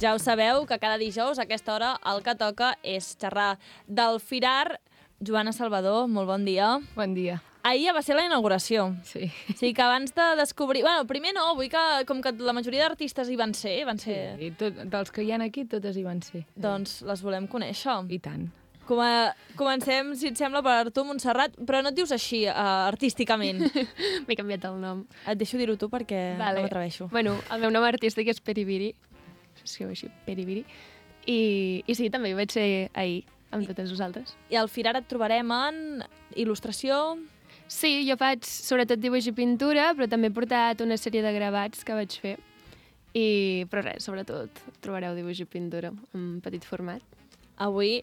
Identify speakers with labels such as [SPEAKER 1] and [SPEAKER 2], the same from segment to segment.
[SPEAKER 1] Ja ho sabeu, que cada dijous a aquesta hora el que toca és xerrar del Firar. Joana Salvador, molt bon dia.
[SPEAKER 2] Bon dia.
[SPEAKER 1] Ahir ja va ser la inauguració.
[SPEAKER 2] Sí.
[SPEAKER 1] O sigui que abans de descobrir... Bueno, primer no, vull que, com que la majoria d'artistes hi van ser...
[SPEAKER 2] Sí, dels que hi ha aquí, totes hi van ser.
[SPEAKER 1] Doncs les volem conèixer.
[SPEAKER 2] I tant.
[SPEAKER 1] Comencem, si et sembla, per tu, Montserrat, però no et dius així, artísticament.
[SPEAKER 3] M'he canviat el nom.
[SPEAKER 1] Et deixo dir-ho tu perquè no m'atreveixo.
[SPEAKER 3] Bueno, el meu nom artístic és Peribiri. S'escriu així, Peribiri. I sí, també hi vaig ser ahir, amb totes vosaltres.
[SPEAKER 1] I al Firar et trobarem en il·lustració...
[SPEAKER 3] Sí, jo faig sobretot dibuix i pintura, però també he portat una sèrie de gravats que vaig fer. Però res, sobretot trobareu dibuix i pintura en petit format.
[SPEAKER 1] Avui,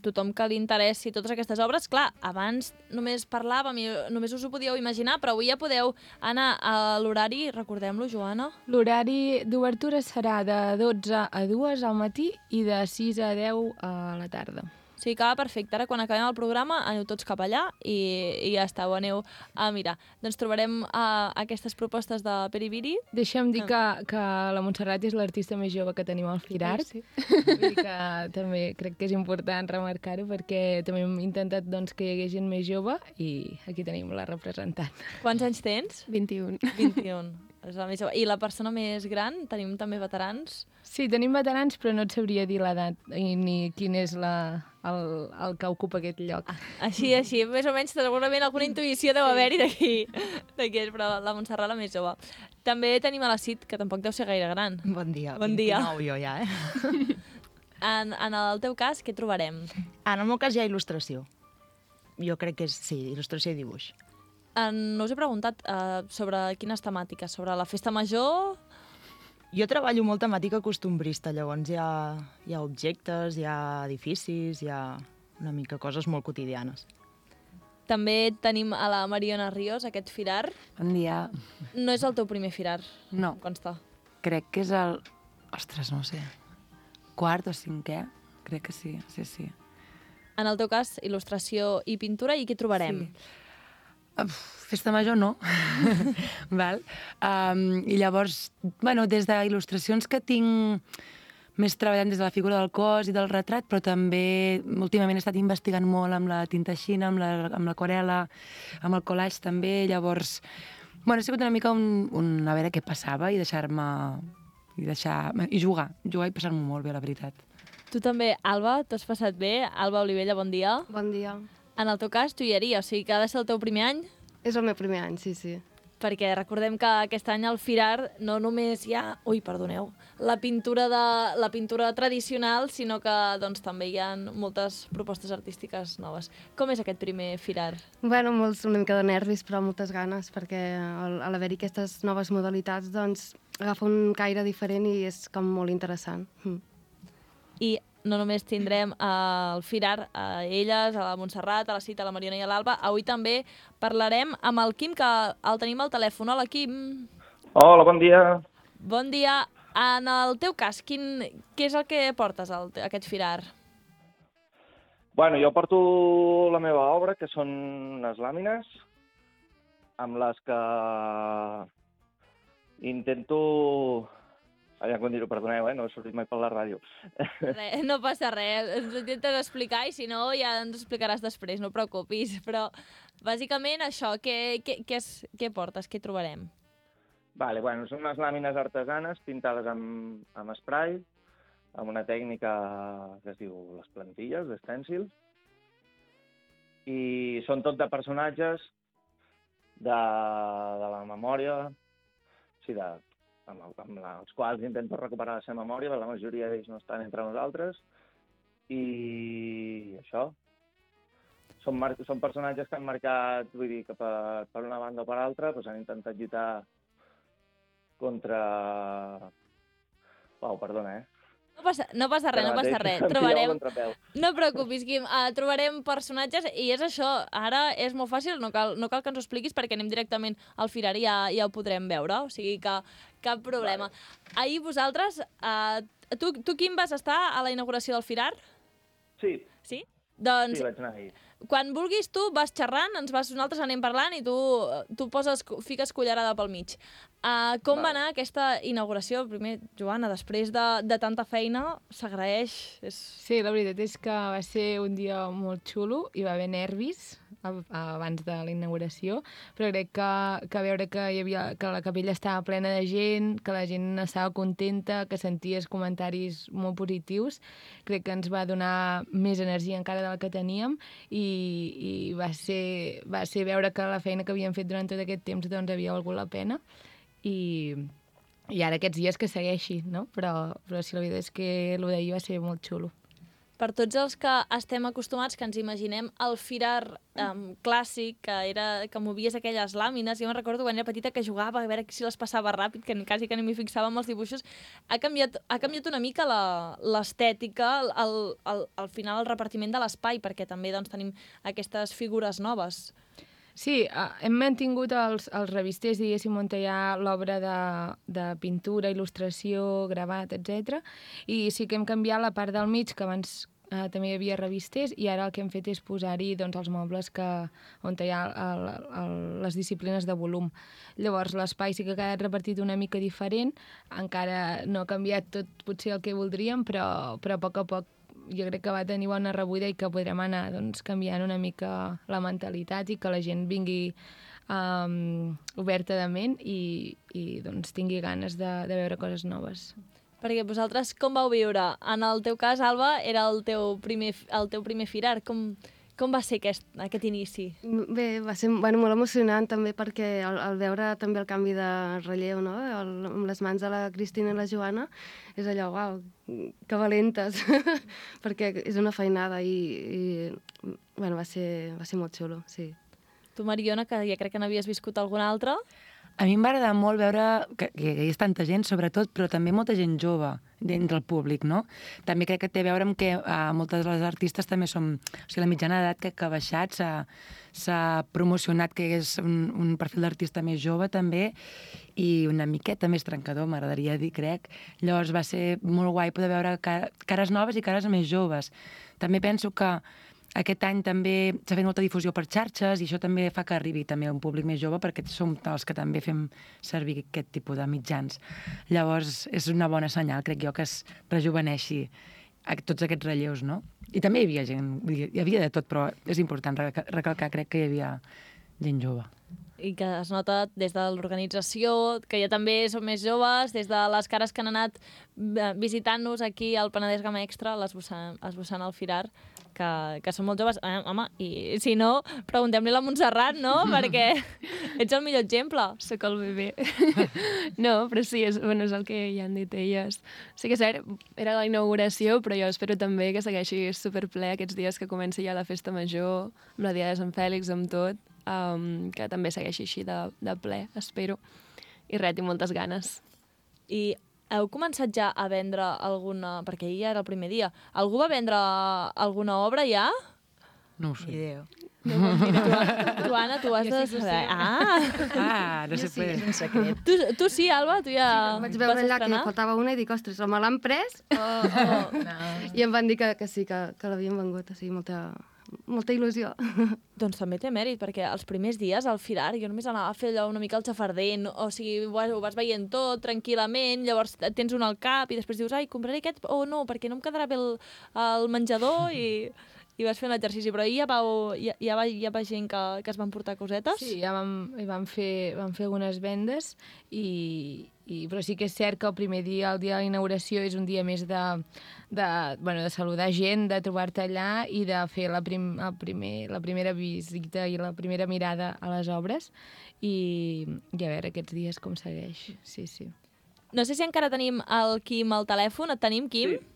[SPEAKER 1] tothom que li interessi totes aquestes obres, clar, abans només parlàvem i només us ho podíeu imaginar, però avui ja podeu anar a l'horari, recordem-lo, Joana?
[SPEAKER 2] L'horari d'obertura serà de 12 a 2 al matí i de 6 a 10 a la tarda.
[SPEAKER 1] O sigui que va perfecte. Ara, quan acabem el programa, aneu tots cap allà i ja està, ho aneu a mirar. Doncs trobarem aquestes propostes de Peribiri.
[SPEAKER 2] Deixa'm dir que la Montserrat és l'artista més jove que tenim al Firar.
[SPEAKER 3] Sí.
[SPEAKER 2] Vull dir que també crec que és important remarcar-ho perquè també hem intentat doncs, que hi hagués gent més jove i aquí tenim la representant.
[SPEAKER 1] Quants anys tens?
[SPEAKER 3] 21.
[SPEAKER 1] 21. És la més jove. I la persona més gran? Tenim també veterans?
[SPEAKER 2] Sí, tenim veterans, però no et sabria dir l'edat ni quin és el que ocupa aquest lloc.
[SPEAKER 1] Així, més o menys, segurament alguna intuïció deu haver-hi d'aquí, però la Montserrat la més jove. També tenim a la Cid, que tampoc deu ser gaire gran.
[SPEAKER 4] Bon dia.
[SPEAKER 1] Bon dia.
[SPEAKER 4] 29 jo ja,
[SPEAKER 1] En el teu cas, què trobarem?
[SPEAKER 4] En el meu cas hi ha il·lustració. Jo crec que és, sí, il·lustració i dibuix.
[SPEAKER 1] No us he preguntat sobre quines temàtiques, sobre la festa major...
[SPEAKER 4] Jo treballo molt temàtica costumbrista, llavors hi ha objectes, hi ha edificis, hi ha una mica coses molt quotidianes.
[SPEAKER 1] També tenim a la Mariona Ríos, aquest Firar.
[SPEAKER 5] Bon dia.
[SPEAKER 1] No és el teu primer Firar,
[SPEAKER 5] No,
[SPEAKER 1] em consta.
[SPEAKER 5] crec que és el... Ostres, no ho sé. Quart o cinquè? Crec que sí, sí.
[SPEAKER 1] En el teu cas, il·lustració i pintura, i què trobarem?
[SPEAKER 5] Sí. Festa major no. Val? I llavors, bueno, des d'il·lustracions que tinc més treballant des de la figura del cos i del retrat, però també últimament he estat investigant molt amb la tinta xina, amb l'aquarela, amb el collage també, llavors... Bueno, ha sigut una mica a veure què passava i i jugar i passar-m'ho molt bé, la veritat.
[SPEAKER 1] Tu també, Alba, t'has passat bé? Alba Olivella, bon dia.
[SPEAKER 6] Bon dia.
[SPEAKER 1] En el teu cas, joieria, o sigui que ha de ser el teu primer any?
[SPEAKER 6] És el meu primer any, sí.
[SPEAKER 1] Perquè recordem que aquest any al Firar no només hi ha, la pintura tradicional, sinó que doncs, també hi ha moltes propostes artístiques noves. Com és aquest primer Firar?
[SPEAKER 6] Bueno, una mica de nervis, però moltes ganes, perquè a l'haver-hi aquestes noves modalitats, doncs, agafa un caire diferent i és com molt interessant.
[SPEAKER 1] I no només tindrem el Firar a elles, a la Montserrat, a la Cita, a la Mariona i a l'Alba. Avui també parlarem amb el Quim, que el tenim al telèfon. Hola, Quim.
[SPEAKER 7] Hola, bon dia.
[SPEAKER 1] Bon dia. En el teu cas, què és el que portes a aquest Firar?
[SPEAKER 7] Bueno, jo porto la meva obra, que són unes làmines, amb les que intento... Ja com dir-ho, perdoneu, no he sortit mai per la ràdio.
[SPEAKER 1] No passa res, ens ho intentes explicar i si no ja ens explicaràs després, no preocupis. Però bàsicament això, què portes, què trobarem?
[SPEAKER 7] Vale, bueno, són unes làmines artesanes pintades amb spray, amb una tècnica que es diu les plantilles, d'estèncils, i són tot de personatges de la memòria, sí, amb els quals intento recuperar la seva memòria, perquè la majoria d'ells no estan entre nosaltres, i això. Són personatges que han marcat, vull dir, que per una banda o per altra, doncs han intentat lluitar contra... Uau, perdona,
[SPEAKER 1] No passa res. No preocupis, Quim. Trobarem personatges i és això. Ara és molt fàcil, no cal que ens ho expliquis perquè anem directament al Firar i ja ho podrem veure. O sigui que cap problema. Vale. Ahir vosaltres... Tu, Quim, vas estar a la inauguració del Firar?
[SPEAKER 7] Sí.
[SPEAKER 1] Sí? Doncs,
[SPEAKER 7] sí, vaig anar ahir.
[SPEAKER 1] Quan vulguis tu vas xerrant, nosaltres anem parlant i tu fiques cullerada pel mig. Com va anar aquesta inauguració? Primer, Joana, després de tanta feina, s'agraeix?
[SPEAKER 2] Sí, la veritat és que va ser un dia molt xulo, hi va haver nervis abans de la inauguració, però crec que veure que la capella estava plena de gent, que la gent estava contenta, que senties comentaris molt positius, crec que ens va donar més energia encara de la que teníem i va ser veure que la feina que havíem fet durant tot aquest temps doncs havia valgut la pena i ara aquests dies que segueixi, no? Però sí, la veritat és que el d'ahir va ser molt xulo.
[SPEAKER 1] Per tots els que estem acostumats, que ens imaginem el Firar clàssic, que movies aquelles làmines, jo me'n recordo quan era petita que jugava a veure si les passava ràpid, que quasi que no m'hi fixava amb els dibuixos, ha canviat una mica l'estètica, al final el repartiment de l'espai, perquè també doncs, tenim aquestes figures noves.
[SPEAKER 2] Sí, hem mantingut els revisters, diguéssim, on hi ha l'obra de pintura, il·lustració, gravat, etc. I sí que hem canviat la part del mig, que abans també hi havia revisters, i ara el que hem fet és posar-hi doncs, els mobles on hi ha les disciplines de volum. Llavors l'espai sí que ha quedat repartit una mica diferent, encara no ha canviat tot potser el que voldríem, però a poc a poc jo crec que va tenir bona rebuda i que podrem anar doncs, canviant una mica la mentalitat i que la gent vingui oberta de ment i doncs, tingui ganes de veure coses noves.
[SPEAKER 1] Perquè vosaltres com vau viure? En el teu cas, Alba, era el teu primer Firar. Com va ser aquest inici?
[SPEAKER 6] Bé, va ser molt emocionant també perquè al veure també el canvi de relleu, no? Amb les mans de la Cristina i la Joana, és allò, uau, que valentes, perquè és una feinada i va ser molt xulo, sí.
[SPEAKER 1] Tu, Mariona, que ja crec que n'havies viscut alguna altra?
[SPEAKER 5] A mi em va agradar molt veure que hi ha tanta gent, sobretot, però també molta gent jove dintre el públic, no? També crec que té a veure amb que moltes de les artistes també som... O sigui, la mitjana d'edat que ha baixat, s'ha promocionat que és un perfil d'artista més jove, també, i una miqueta més trencador, m'agradaria dir, crec. Llavors va ser molt guai poder veure cares noves i cares més joves. També penso que aquest any també s'ha fet molta difusió per xarxes i això també fa que arribi també a un públic més jove perquè som els que també fem servir aquest tipus de mitjans. Llavors és una bona senyal, crec jo, que es rejuveneixi tots aquests relleus, no? I també hi havia gent, hi havia de tot, però és important recalcar, crec que hi havia gent jove.
[SPEAKER 1] I que es nota des de l'organització, que ja també som més joves, des de les cares que han anat visitant-nos aquí al Penedès Gamma Extra, l'esbossant al Firar, que són molt joves. Home, i si no, preguntem-li a la Montserrat, no? Perquè ets el millor exemple.
[SPEAKER 3] Soc el bebè. No, però sí, és el que ja han dit elles. Sí que és cert, era la inauguració, però jo espero també que segueixi superple aquests dies que comenci ja la festa major, amb la Dia de Sant Fèlix, amb tot, que també segueixi així de ple, espero. I res, tinc moltes ganes.
[SPEAKER 1] I heu començat ja a vendre alguna... Perquè ahir ja era el primer dia. Algú va vendre alguna obra ja?
[SPEAKER 5] No ho sé.
[SPEAKER 4] Idea.
[SPEAKER 1] No, mira, tu, Anna, tu has de saber.
[SPEAKER 5] No sé,
[SPEAKER 4] sí, és un secret.
[SPEAKER 1] Tu sí, Alba? Tu ja
[SPEAKER 6] Vaig veure allà que faltava una i dic, ostres, o me l'han pres
[SPEAKER 1] No.
[SPEAKER 6] I em van dir que sí, que l'havien vengut, o sigui, molta il·lusió.
[SPEAKER 1] Doncs també té mèrit, perquè els primers dies al Firar jo només anava a fer allò una mica el xafarder, o sigui, ho vas veient tot tranquil·lament, llavors tens un al cap i després dius, ai, compraré aquest o no, perquè no em quedarà bé el menjador i vas fent l'exercici. Però ahir ja va gent que es van portar cosetes?
[SPEAKER 2] Sí, ja vam fer algunes vendes, però sí que és cert que el primer dia, el dia de la inauguració, és un dia més de saludar gent, de trobar-te allà i de fer la primera visita i la primera mirada a les obres i a veure aquests dies com segueix. Sí.
[SPEAKER 1] No sé si encara tenim el Quim al telèfon. Et tenim, Quim? Sí.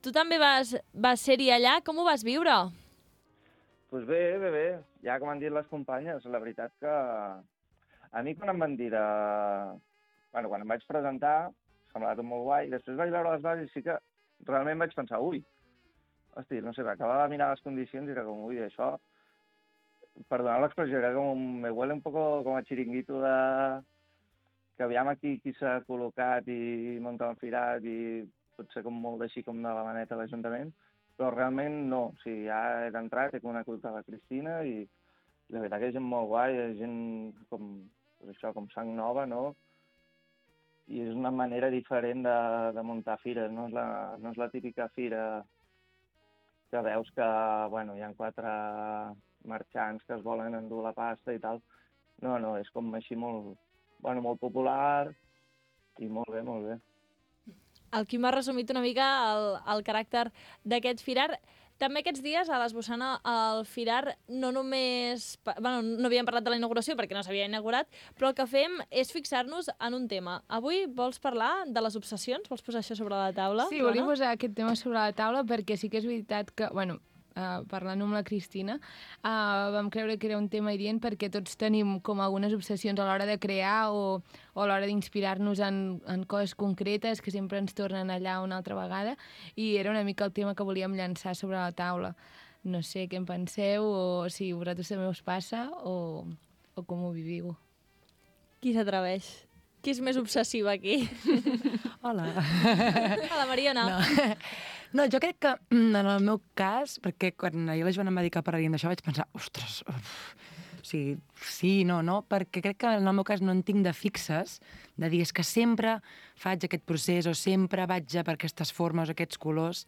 [SPEAKER 1] Tu també vas ser-hi allà. Com ho vas viure?
[SPEAKER 7] Doncs bé. Ja com han dit les companyes, la veritat que a mi quan em van dir quan em vaig presentar, semblava tot molt guai, després vaig veure les bases i sí que realment vaig pensar, hosti, no sé, acabava de mirar les condicions i era com, això, perdoneu l'expressió, era com, me huele un poco com a xiringuito que aviam aquí qui s'ha col·locat i muntat un firat i potser com molt així com de la maneta a l'Ajuntament, Però realment no, o sigui, ja he d'entrar, he conegut a la Cristina i la veritat que és gent molt guai, és gent com, doncs això, com sang nova, no? I és una manera diferent de muntar fires, no és la típica fira que veus que, bueno, hi ha 4 marxants que es volen endur la pasta i tal. No, és com així molt popular i molt bé, molt bé.
[SPEAKER 1] El Quim ha resumit una mica el caràcter d'aquest firar. També aquests dies, a l'Esbossana, el firar no només... Bueno, no havíem parlat de la inauguració perquè no s'havia inaugurat, però el que fem és fixar-nos en un tema. Avui vols parlar de les obsessions? Vols posar això sobre la taula?
[SPEAKER 2] Sí, volia posar aquest tema sobre la taula perquè sí que és veritat que... Bueno, parlant amb la Cristina, vam creure que era un tema adient perquè tots tenim com algunes obsessions a l'hora de crear o a l'hora d'inspirar-nos en coses concretes que sempre ens tornen allà una altra vegada, i era una mica el tema que volíem llançar sobre la taula. No sé què en penseu, o si a vosaltres també us passa, o com ho viviu.
[SPEAKER 1] Qui s'atreveix? Qui és més obsessiva aquí?
[SPEAKER 5] Hola.
[SPEAKER 1] Hola, Mariona.
[SPEAKER 5] No, jo crec que en el meu cas, perquè quan ahir la Joana em va dir que parlaríem d'això vaig pensar, ostres, o sigui, sí, no, perquè crec que en el meu cas no en tinc de fixes, de dir és que sempre faig aquest procés o sempre vaig per aquestes formes o aquests colors.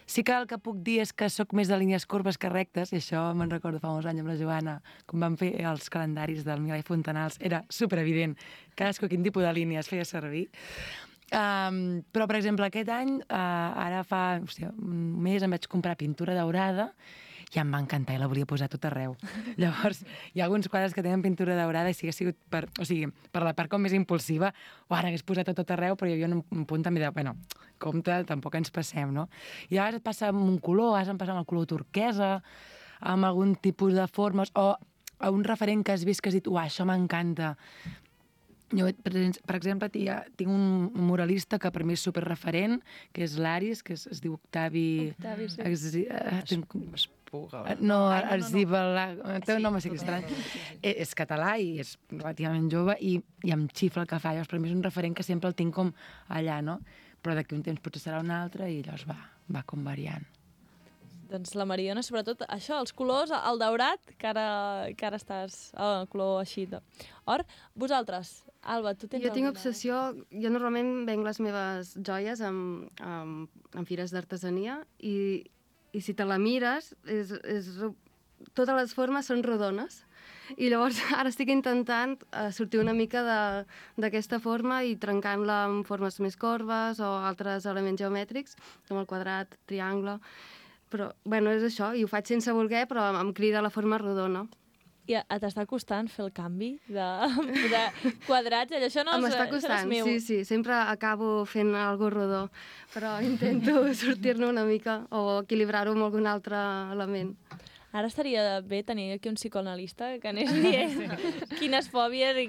[SPEAKER 5] Sí que el que puc dir és que sóc més de línies corbes que rectes, i això me'n recordo fa molts anys amb la Joana, quan vam fer els calendaris del Milà i Fontanals, era superevident cadascú quin tipus de línies feia servir. Però, per exemple, aquest any, ara fa un mes em vaig comprar pintura daurada i em va encantar i la volia posar tot arreu. Llavors, hi ha alguns quadres que tenen pintura daurada i si hagués sigut per la part com més impulsiva, ara hagués posat tot arreu, però hi havia un punt també de, bueno, compte, tampoc ens passem, no? I a vegades et passa amb un color, a vegades em passa amb el color turquesa, amb algun tipus de formes, o a un referent que has vist que has dit, això m'encanta. Jo, per exemple, tinc un muralista que per mi és superreferent, que és l'Aris, que es diu Octavi...
[SPEAKER 3] Octavi, sí.
[SPEAKER 5] Té un nom així estrany. És català i és relativament jove i em xifla el que fa. Llavors, per mi és un referent que sempre el tinc com allà, no? Però d'aquí un temps potser serà un altre i llavors va com variant.
[SPEAKER 1] Doncs la Mariona, sobretot, això, els colors, el daurat, que ara estàs... El color així d'or. Vosaltres, Alba, tu tens...
[SPEAKER 6] Jo tinc obsessió... Jo normalment venc les meves joies en fires d'artesania i si te la mires, totes les formes són rodones. I llavors ara estic intentant sortir una mica d'aquesta forma i trencant-la amb formes més corbes o altres elements geomètrics, com el quadrat, triangle... Però, bueno, és això, i ho faig sense voler, però em crida la forma rodona.
[SPEAKER 1] I t'està costant fer el canvi de posar quadrats? Això no és meu.
[SPEAKER 6] M'està costant, sí. Sempre acabo fent alguna rodó, però intento sortir-ne una mica o equilibrar-ho amb algun altre element.
[SPEAKER 1] Ara estaria bé tenir aquí un psicoanalista que anés dient quines fòbies i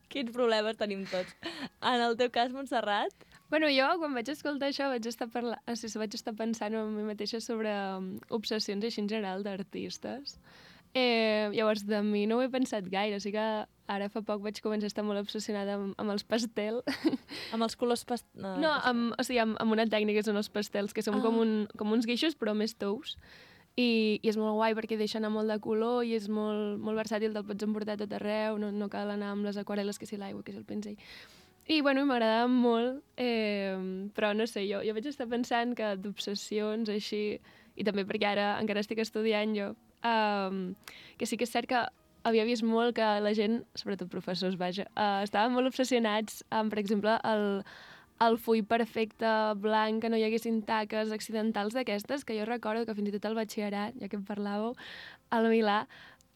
[SPEAKER 1] quins problemes tenim tots. En el teu cas, Montserrat?
[SPEAKER 3] Bueno, jo, quan vaig escoltar això, vaig estar pensant en mi mateixa sobre obsessions així en general d'artistes. Llavors, de mi no ho he pensat gaire, o sigui que ara fa poc vaig començar a estar molt obsessionada amb els pastel.
[SPEAKER 1] Amb els colors pastel?
[SPEAKER 3] No, amb una tècnica que són els pastels, que són com uns guixos, però més tous. I és molt guai perquè deixa anar molt de color i és molt, molt versàtil, te'l pots emportar tot arreu, no cal anar amb les aquarel·les, que si l'aigua, que si el pinzell. I, bueno, m'agradava molt, però no sé, jo vaig estar pensant que d'obsessions així, i també perquè ara encara estic estudiant jo, que sí que és cert que havia vist molt que la gent, sobretot professors, estaven molt obsessionats amb, per exemple, el full perfecte, blanc, que no hi haguessin taques accidentals d'aquestes, que jo recordo que fins i tot al batxillerat, ja que en parlàveu, al Milà,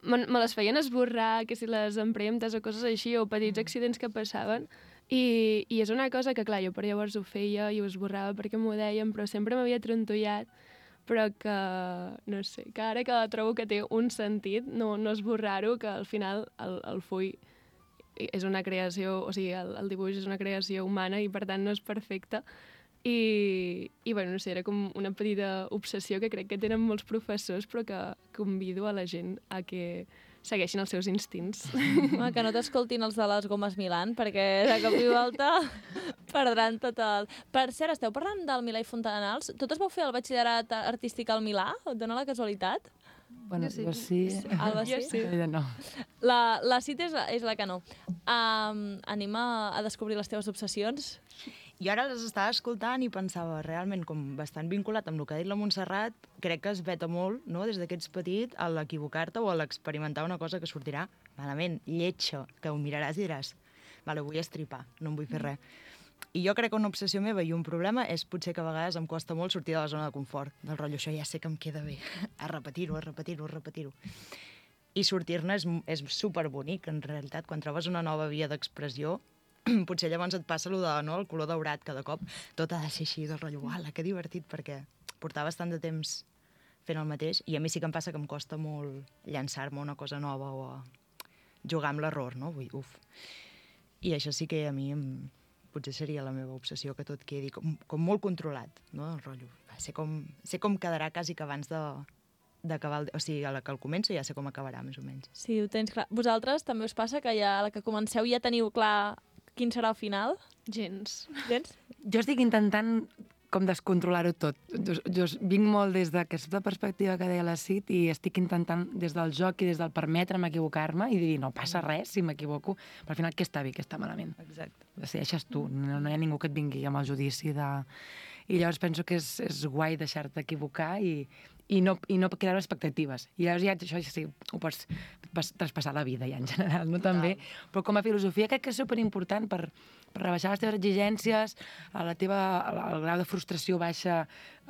[SPEAKER 3] me les feien esborrar, que si les empremtes o coses així, o petits accidents que passaven. I és una cosa que, clar, jo per llavors ho feia i ho esborrava perquè m'ho deien, però sempre m'havia trontollat, però que, no sé, que ara que trobo que té un sentit, no esborrar-ho, que al final el full és una creació, o sigui, el dibuix és una creació humana i per tant no és perfecte. I bueno, no sé, era com una petita obsessió que crec que tenen molts professors, però que convido a la gent a que segueixin els seus instints.
[SPEAKER 1] Home, que no t'escoltin els de les gomes Milan, perquè de cop i volta perdran tot el... Per cert, esteu parlant del Milà i Fontanals? Totes vau fer el batxillerat artístic al Milà? Et dona la casualitat?
[SPEAKER 5] Bueno, jo sí.
[SPEAKER 1] Alba sí?
[SPEAKER 5] Ella no.
[SPEAKER 1] La Cit és la que no. Anem a descobrir les teves obsessions?
[SPEAKER 4] Jo ara les estava escoltant i pensava, realment, com bastant vinculat amb el que ha dit la Montserrat, crec que es veta molt, no?, des que ets petit, a l'equivocar-te o a l'experimentar una cosa que sortirà malament, lletja, que ho miraràs i diràs, vale, ho vull estripar, no em vull fer res. I jo crec que una obsessió meva i un problema és potser que a vegades em costa molt sortir de la zona de confort, del rotllo, això ja sé que em queda bé, a repetir-ho, a repetir-ho, a repetir-ho. I sortir-ne és superbonic, en realitat, quan trobes una nova via d'expressió, potser llavors et passa allò de, no, el color daurat cada cop, tot ha de ser així, del rotllo, uala, que divertit, perquè portaves tant de temps fent el mateix, i a mi sí que em passa que em costa molt llançar-me una cosa nova o a jugar amb l'error, no? Vull, uf. I això sí que a mi potser seria la meva obsessió, que tot quedi com molt controlat, no? El rotllo. Sé com quedarà quasi que abans d'acabar, o sigui, a la que el començo ja sé com acabarà, més o menys.
[SPEAKER 1] Sí, ho tens clar. Vosaltres també us passa que ja a la que comenceu ja teniu clar quin serà el final?
[SPEAKER 3] Gens.
[SPEAKER 5] Jo estic intentant com descontrolar-ho tot. Jo vinc molt des d'aquesta perspectiva que deia la Cit i estic intentant des del joc i des del permetre'm equivocar-me i dir, no passa res si m'equivoco, però al final què està bé, què està malament?
[SPEAKER 4] Exacte.
[SPEAKER 5] Decideixes tu, no hi ha ningú que et vingui amb el judici de... I llavors penso que és guai deixar-te equivocar i no crear expectatives. I llavors ja això sí, ho pots traspassar la vida ja en general, no? També. Però com a filosofia crec que és superimportant per rebaixar les teves exigències, el grau de frustració baixa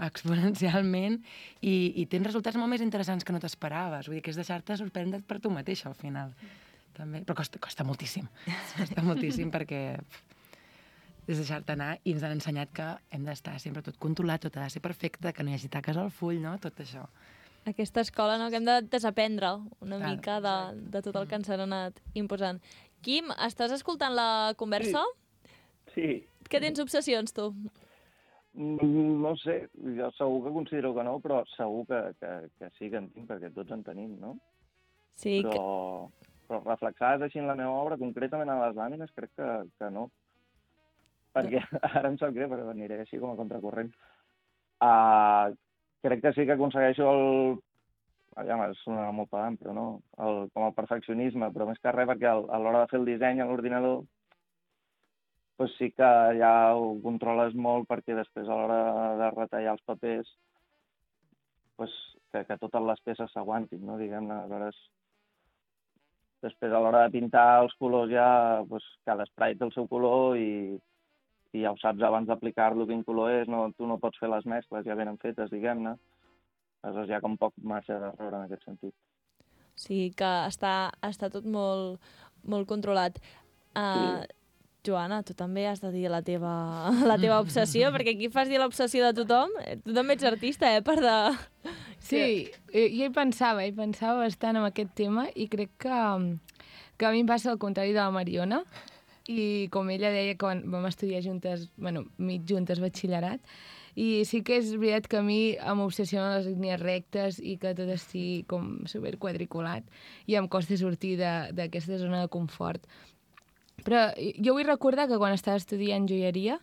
[SPEAKER 5] exponencialment i tens resultats molt més interessants que no t'esperaves. Vull dir que és deixar-te sorprendre't per tu mateixa al final. També. Però costa moltíssim. Costa moltíssim perquè és deixar-te anar i ens han ensenyat que hem d'estar sempre tot controlat, tot ha de ser perfecte, que no hi hagi taques al full, no? Tot això.
[SPEAKER 1] Aquesta escola, no?, que hem de desaprendre una mica de tot el que ens han anat imposant. Quim, estàs escoltant la conversa?
[SPEAKER 7] Sí.
[SPEAKER 1] Que tens obsessions, tu?
[SPEAKER 7] No sé, jo segur que considero que no, però segur que sí que en tinc, perquè tots en tenim, no?
[SPEAKER 1] Sí.
[SPEAKER 7] Però reflexades així en la meva obra, concretament a les làmines, crec que no. Perquè ara em sap greu, perquè aniré així com a contracorrent. Crec que sí que aconsegueixo sonarà molt pedant, però no, com el perfeccionisme, però més que res perquè a l'hora de fer el disseny a l'ordinador doncs sí que ja ho controles molt perquè després a l'hora de retallar els papers doncs que totes les peces s'aguantin, no? Diguem-ne, aleshores després a l'hora de pintar els colors ja doncs, cada spray té el seu color i ja ho saps abans d'aplicar-lo quin color és, no, tu no pots fer les mescles ja venen fetes, diguem-ne. Aleshores hi ha com poc marge d'error en aquest sentit.
[SPEAKER 1] Sí, que està tot molt, molt controlat. Joana, tu també has de dir la teva obsessió, perquè aquí fas dir l'obsessió de tothom. Tu també ets artista, per de...
[SPEAKER 2] Sí, jo hi pensava bastant en aquest tema i crec que a mi em passa el contrari de la Mariona. I com ella deia, quan vam estudiar juntes, mig juntes batxillerat, i sí que és veritat que a mi m'obsessionen les línies rectes i que tot estigui com superquadriculat i em costa sortir d'aquesta zona de confort. Però jo vull recordar que quan estava estudiant joieria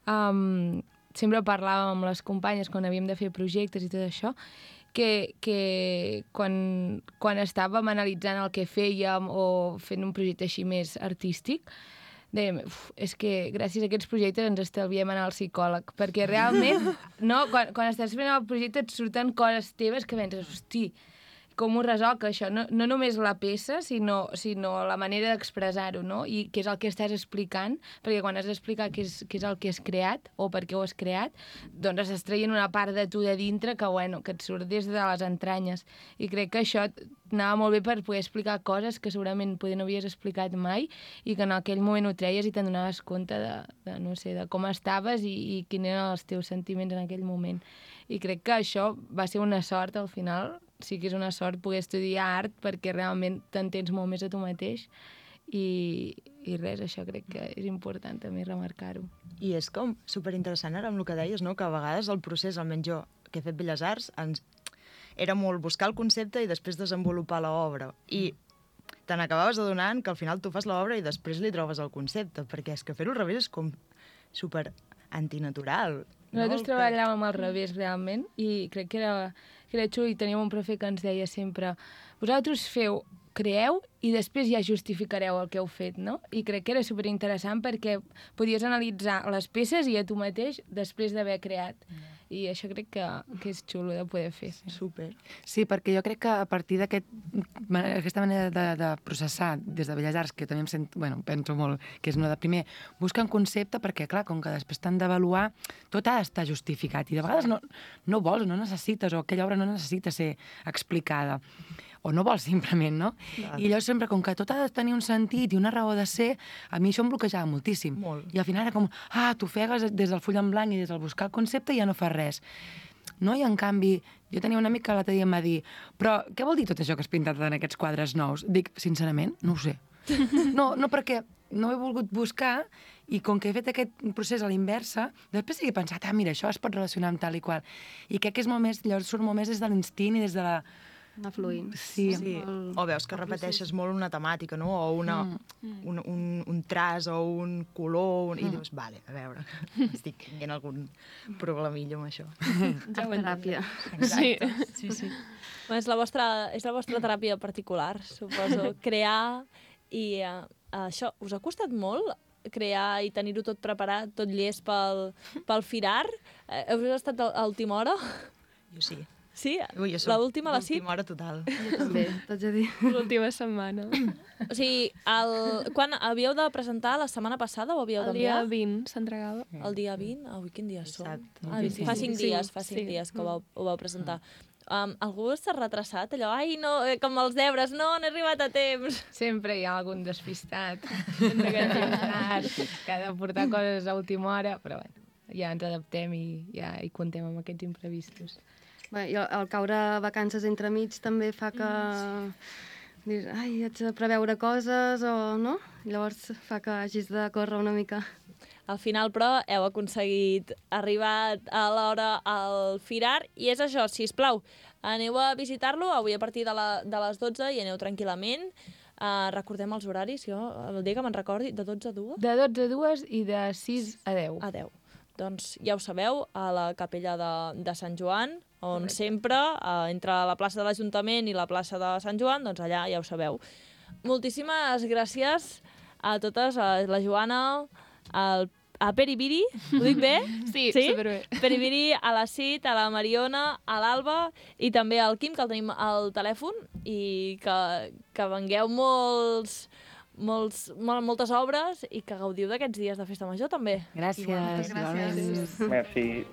[SPEAKER 2] sempre parlàvem amb les companyes quan havíem de fer projectes i tot això, que quan estàvem analitzant el que fèiem o fent un projecte així més artístic, dèiem, és que gràcies a aquests projectes ens estalviem anar al psicòleg, perquè realment, no, quan estàs fent el projecte et surten coses teves que penses, hosti, com ho resolc això? No només la peça, sinó la manera d'expressar-ho, no? I què és el que estàs explicant, perquè quan has d'explicar què és el que has creat o per què ho has creat, doncs estàs traient una part de tu de dintre que et surt des de les entranyes. I crec que això anava molt bé per poder explicar coses que segurament potser no havies explicat mai i que en aquell moment ho treies i te'n donaves compte de com estaves i quins eren els teus sentiments en aquell moment. I crec que això va ser una sort al final. Sí que és una sort poder estudiar art perquè realment t'entens molt més a tu mateix i res, això crec que és important també remarcar-ho.
[SPEAKER 4] I és com superinteressant ara amb el que deies, no? Que a vegades el procés, almenys jo, que he fet Belles Arts, era molt buscar el concepte i després desenvolupar l'obra. I te n'acabaves adonant que al final tu fas l'obra i després li trobes el concepte, perquè és que fer-ho al revés és com super antinatural.
[SPEAKER 2] Nosaltres treballàvem al revés, realment, i crec que era xulo, i teníem un profe que ens deia sempre vosaltres creeu i després ja justificareu el que heu fet, no? I crec que era superinteressant perquè podies analitzar les peces i a tu mateix després d'haver creat. I això crec que és xulo de poder fer.
[SPEAKER 4] Super.
[SPEAKER 5] Sí, perquè jo crec que a partir d'aquesta manera de processar des de Belles Arts, que també penso molt que és una de primer, buscar un concepte perquè, clar, com que després t'han d'avaluar, tot ha d'estar justificat i de vegades no vols, no necessites, o aquella obra no necessita ser explicada. O no vols simplement, no? Clar. I llavors sempre, com que tot ha de tenir un sentit i una raó de ser, a mi això em bloquejava moltíssim.
[SPEAKER 4] Molt.
[SPEAKER 5] I al final era com, t'ofegues des del full en blanc i des del buscar el concepte i ja no fas res. No? I en canvi, jo tenia un amic que l'altre dia em va dir però què vol dir tot això que has pintat en aquests quadres nous? Dic, sincerament, no ho sé. No, perquè no he volgut buscar i com que he fet aquest procés a l'inversa, després he pensat, mira, això es pot relacionar amb tal i qual. I crec que és molt més, llavors surt molt més des de l'instint i des de la...
[SPEAKER 6] Anar fluint.
[SPEAKER 5] Sí.
[SPEAKER 4] O veus que repeteixes molt una temàtica, no? O un traç o un color, i dius, vale, a veure, estic tenint algun problemillo amb això.
[SPEAKER 6] Teràpia.
[SPEAKER 3] Sí.
[SPEAKER 1] És la vostra teràpia particular, suposo. Crear i això, us ha costat molt crear i tenir-ho tot preparat, tot llest pel Firar? Heu estat a última hora?
[SPEAKER 4] Jo sí.
[SPEAKER 1] Sí?
[SPEAKER 4] Ui,
[SPEAKER 1] L'última a la CIT?
[SPEAKER 4] L'última hora total.
[SPEAKER 6] Jo també, t'haig de dir.
[SPEAKER 3] L'última setmana.
[SPEAKER 1] O sigui, quan havíeu de presentar la setmana passada o havíeu
[SPEAKER 3] El dia
[SPEAKER 1] d'enviar?
[SPEAKER 3] 20 s'entregava.
[SPEAKER 1] El dia 20? Ui, quin dia som?
[SPEAKER 4] Dissabte.
[SPEAKER 1] Fa 5 dies que ho vau presentar. Algú s'ha retrasat allò? Ai, no, com els deures, no he arribat a temps.
[SPEAKER 2] Sempre hi ha algun despistat que ha de portar coses a última hora, però bueno, ja ens adaptem i ja hi contem amb aquests imprevistos.
[SPEAKER 6] Bé, i el caure vacances entremig també fa que... Dius, ai, haig de preveure coses o no? Llavors fa que hagis de córrer una mica.
[SPEAKER 1] Al final, però, heu aconseguit arribar a l'hora al Firar i és això, sisplau, aneu a visitar-lo avui a partir de les 12 i aneu tranquil·lament. Recordem els horaris, jo el dia que me'n recordi, de 12 a 2?
[SPEAKER 2] De 12 a 2 i de 6 a 10.
[SPEAKER 1] A 10. Doncs ja ho sabeu, a la capella de Sant Joan, on sempre, entre la plaça de l'Ajuntament i la plaça de Sant Joan, doncs allà ja ho sabeu. Moltíssimes gràcies a totes, a la Joana, a Peribiri, ho dic bé?
[SPEAKER 3] Sí, superbé.
[SPEAKER 1] Peribiri, a la Cit, a la Mariona, a l'Alba i també al Quim, que el tenim al telèfon, i que vengueu moltes obres i que gaudiu d'aquests dies de Festa Major, també.
[SPEAKER 5] Gràcies.
[SPEAKER 6] Gràcies.
[SPEAKER 7] Merci.